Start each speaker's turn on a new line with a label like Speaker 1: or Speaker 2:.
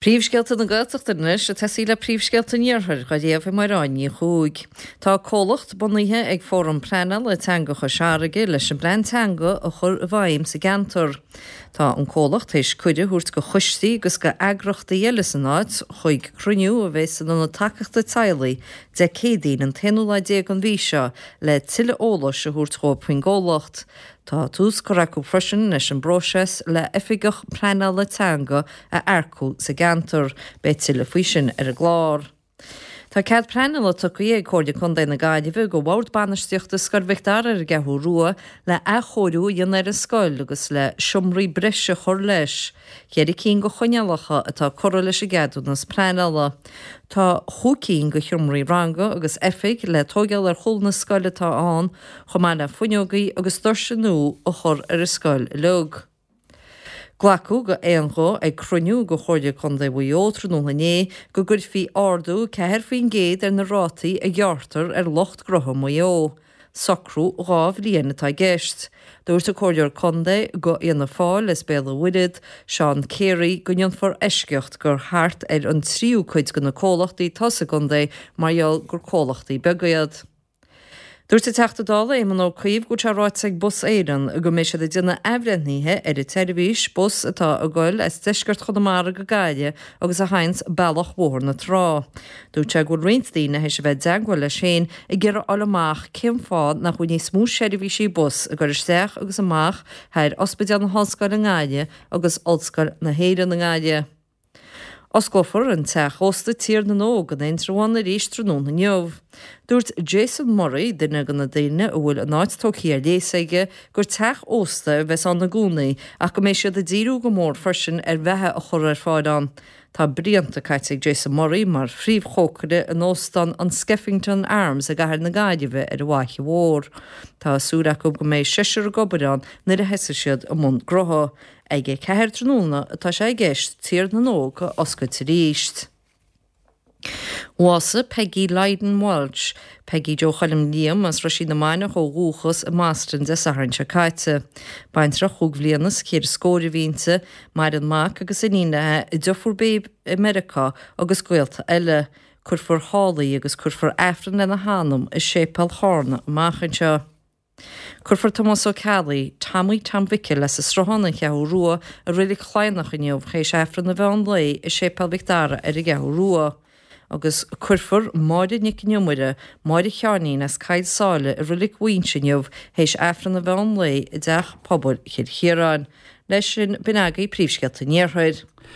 Speaker 1: Príomhscéalta na Gaeltachta anois ag tosaí le príomhscéalta an Iarthair, á léamh ag Mairéad Ní Chuaig. Tá comhlacht bunaithe ag Fóram Pleanála Teanga Chois Fharraige leis an bplean teanga a chur i bhfeidhm sa gceantar. Tá an comhlacht théis cuireadh a thabhairt go choistí agus go eagrachtaí eile san áit chuig cruinniú a bheidh san Ionad Tacaíochta Teaghlaigh Dé Céadaoin an t-aonú lá déag den mhí seo le tuilleadh eolais a thabhairt dhóibh faoin gcomhlacht. Tá tús curtha acu freisin leis an bpróiseas le Oifigeach Pleanála Teanga a earcú sa gceantar. Beidh tuilleadh faoi sin ar an gclár. Tá cead pleanála tugtha ag Comhairle Contae na Gaillimhe go Bhord Bainistíochta Scoil Mhic Dara ar an gCeathrú Rua le athchóiriú a dhéanamh ar an scoil agus le seomraí breise a chur leis. Cheithre cinn de choinníollacha atá curtha leis an gceadúnas pleanála. Tá chúig cinn de sheomraí ranga agus oifig le tóigeáil ar chúl na scoile atá ann, chomh maith le fuinneogaí agus doirse nua a chur ar an scoil uilig. Glacadh go aon ghuth ag cruinniú de Chomhairle Contae Mhaigh Eo tráthnóna inné go gcuirfí ardú 4% ar na rátaí a ghearrtar ar lucht gnótha Mhaigh Eo. Socrú 2 bhliain atá i gceist. Dúirt an Comhairleoir Contae go Fhianna Fáil as Béal an Mhuirthead, Seán Carey, go ndéanfar eisceacht gur thart ar an tríú cuid de na comhlachtaí atá sa gcontae mar gheall gur comhlachtaí beaga iad. Dúirt an Teachta Dála Éamon Ó Cuív go bhfuil sé ráite ag Bus Éireann go mbeidh siad ag déanamh athbhreithnithe ar an tseirbhís bus atá ag goil as deisceart Chonamara go Gaillimh agus a thaganns bealach Bhóthar na Trá. Dúirt sé go bhfuil roinnt daoine théis a bheith i dteagmháil leis féin ag iarraidh fháil amach cén fáth nach bhfuil níos mó seirbhísí bus ag goil isteach agus amach thar Ospidéal na hOllscoile i nGaillimh agus Ollscoil na hÉireann i nGaillimh. Osclófar an teach ósta Tír na nÓg in Indreabhán arís tráthnóna inniu. Dúirt Jason Murray, duine de na daoine a bhfuil an áit tógtha ar léas aige, gur teach ósta a bheas ann i gcónaí ach go mbeidh siad ag díriú go mór freisin ar bheatha a chur ar fáil ann. Tá blianta caite ag Jason Murray mar phríomhchócaire in óstán an Skeffington Arms i gcathair na Gaillimhe ar an bhFaiche Mhór. Tá súil acu go mbeidh seisear ag obair ann nuair a thosaigh siad i mbun gnótha. Ag a 4 tráthnóna atá sé i gceist Tír na nÓg a oscailt arís. Bhásaigh Peggy Lydon Walsh, Peggy Joe Choilm Liam as Roisín na Mainiach ó dhúchas i mBoston Dé Sathairn seo caite. Baintreach chúig bhliana is ceithre scór a bhí inti, maireann mac agus iníon léi, a deirfiúr Babe i Meiriceá agus gaolta eile. Cuirfear thall í agus cuirfear Aifreann lena hanam i Séipéal Charna amach anseo. Cuirfear Tomás Ó Ceallaigh, Tommy Tom Mhicil as an Sruthán, An Cheathrú Rua, i Reilig Chladhnach inniu théis Aifreann an mheán lae i Séipéal Mhic Dara ar an gCeathrú Rua. Agus cuirfear Máire Nic an Iomaire, Máire Sheáinín as Coill Sáile i Reilig Mhaínse inniu théis Aifreann an mheán lae i dTeach Pobail Chill Chiaráin. Leis sin, b'in agaibh príomhscéalta an Iarthair.